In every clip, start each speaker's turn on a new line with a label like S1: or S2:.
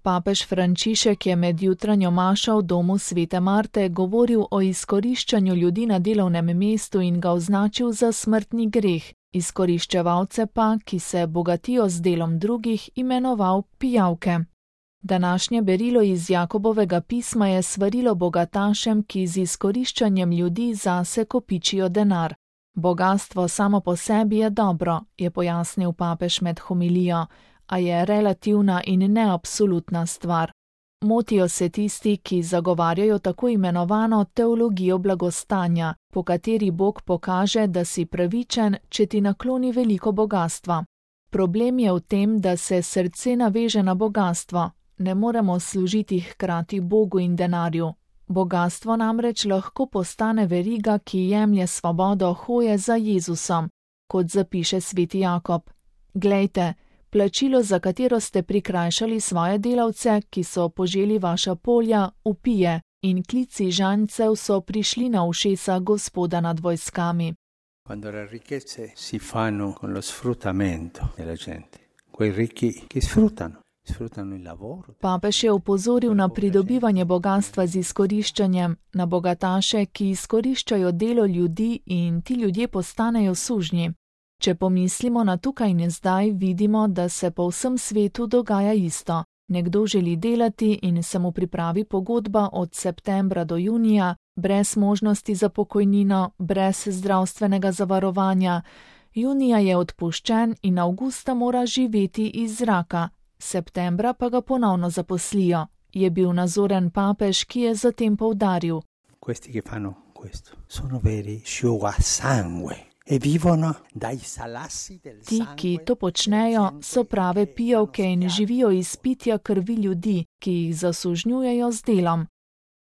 S1: Papež Frančišek je med jutranjo mašo v domu Svete Marte govoril o izkoriščanju ljudi na delovnem mestu in ga označil za smrtni greh, izkoriščevalce pa, ki se bogatijo z delom drugih, imenoval pijavke. Današnje berilo iz Jakobovega pisma je svarilo bogatašem, ki z izkoriščanjem ljudi zase kopičijo denar. Bogastvo samo po sebi je dobro, je pojasnil papež med homilijo, a je relativna in ne absolutna stvar. Motijo se tisti, ki zagovarjajo tako imenovano teologijo blagostanja, po kateri Bog pokaže, da si pravičen, če ti nakloni veliko bogastva. Problem je v tem, da se srce naveže na bogastvo. Ne moremo služiti hkrati Bogu in denarju. Bogastvo namreč lahko postane veriga, ki jemlje svobodo hoje za Jezusom, kot zapiše sveti Jakob. Glejte, plačilo, za katero ste prikrajšali svoje delavce, ki so poželi vaša polja, vpije, in klici žanjcev so prišli na ušesa Gospoda nad vojskami.
S2: Quando le ricchezze si fanno con lo sfruttamento della gente, quei ricchi che sfruttano il lavoro.
S1: Papež je opozoril na pridobivanje bogastva z izkoriščanjem, na bogataše, ki izkoriščajo delo ljudi in ti ljudje postanejo sužnji. Če pomislimo na tukaj in zdaj, vidimo, da se po vsem svetu dogaja isto. Nekdo želi delati in se mu pripravi pogodba od septembra do junija, brez možnosti za pokojnino, brez zdravstvenega zavarovanja. Junija je odpuščen in avgusta mora živeti iz zraka, septembra pa ga ponovno zaposlijo, je bil nazoren papež, ki je zatem poudaril.
S2: Questi che fanno questo sono veri sciugasangue. E vivono dai salassi del sangue.
S1: Ti, ki to počnejo, so prave pijavke in živijo iz pitja krvi ljudi, ki jih zasužnjujejo z delom.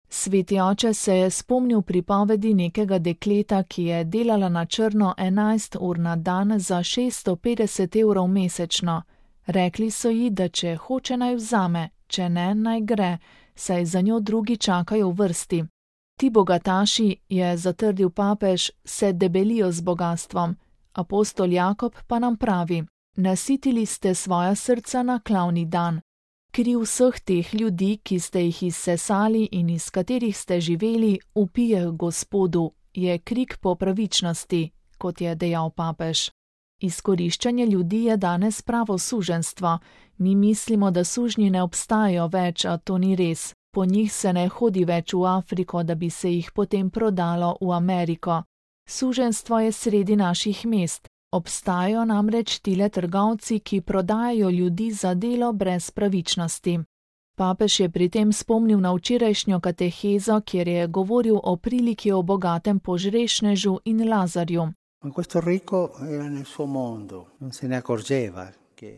S1: Sveti oče se je spomnil pripovedi nekega dekleta, ki je delala na črno 11 ur na dan za 650 evrov mesečno. Rekli so ji, da če hoče naj vzame, če ne naj gre, saj za njo drugi čakajo v vrsti. Ti bogataši, je zatrdil papež, se debelijo z bogatstvom. Apostol Jakob pa nam pravi: nasitili ste svoja srca na klavni dan. Kriv vseh teh ljudi, ki ste jih izsesali in iz katerih ste živeli, vpije Gospodu, je krik po pravičnosti, kot je dejal papež. Izkoriščanje ljudi je danes pravo suženjstvo. Mi mislimo, da sužnji ne obstajajo več, a to ni res. Po njih se ne hodi več v Afriko, da bi se jih potem prodalo v Ameriko. Suženjstvo je sredi naših mest. Obstajajo namreč tile trgovci, ki prodajajo ljudi za delo brez pravičnosti. Papež je pri tem spomnil na včerajšnjo katehezo, kjer je govoril o priliki o bogatem požrešnežu in Lazarju.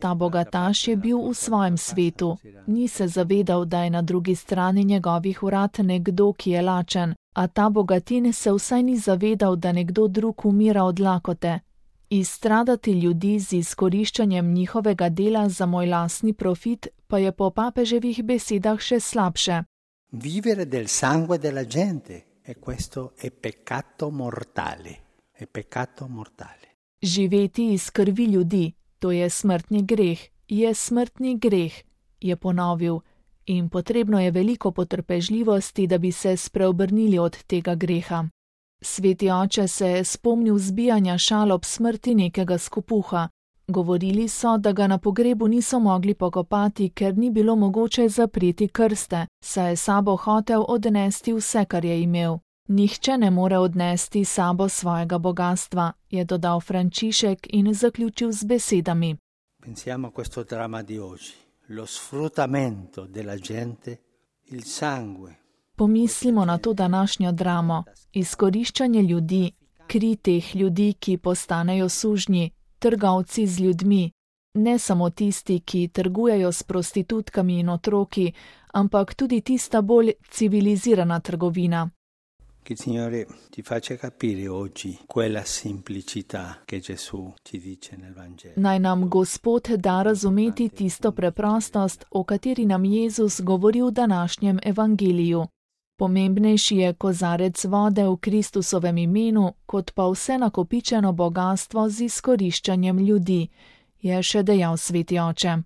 S1: Ta bogataš je bil v svojem svetu, ni se zavedal, da je na drugi strani njegovih vrat nekdo, ki je lačen, a ta bogatin se vsaj ni zavedal, da nekdo drug umira od lakote. Izstradati ljudi z izkoriščanjem njihovega dela za moj lastni profit pa je po papeževih besedah še slabše.
S2: Vivere del sangue della gente, e questo è peccato mortale, è peccato mortale.
S1: Živeti iz krvi ljudi. To je smrtni greh, je ponovil, in potrebno je veliko potrpežljivosti, da bi se spreobrnili od tega greha. Sveti oče se je spomnil zbijanja šal ob smrti nekega skopuha. Govorili so, da ga na pogrebu niso mogli pokopati, ker ni bilo mogoče zapreti krste, saj je sabo hotel odnesti vse, kar je imel. Nihče ne more odnesti sabo svojega bogastva, je dodal Frančišek in zaključil z besedami.
S2: Pensiamo a questo dramma di oggi, lo sfruttamento della gente, il sangue.
S1: Pomislimo na to današnjo dramo, izkoriščanje ljudi, kri teh ljudi, ki postanejo sužnji, trgovci z ljudmi, ne samo tisti, ki trgujejo s prostitutkami in otroki, ampak tudi tista bolj civilizirana trgovina.
S2: Che il Signore ti faccia capire oggi quella semplicità che Gesù ci dice nel Vangelo.
S1: Naj nam Gospod da razumeti tisto preprostost, o kateri nam Jezus govori v današnjem evangeliju. Pomembnejši je kozarec vode v Kristusovem imenu, kot pa vse nakopičeno bogastvo z izkoriščanjem ljudi, je še dejal sveti oče.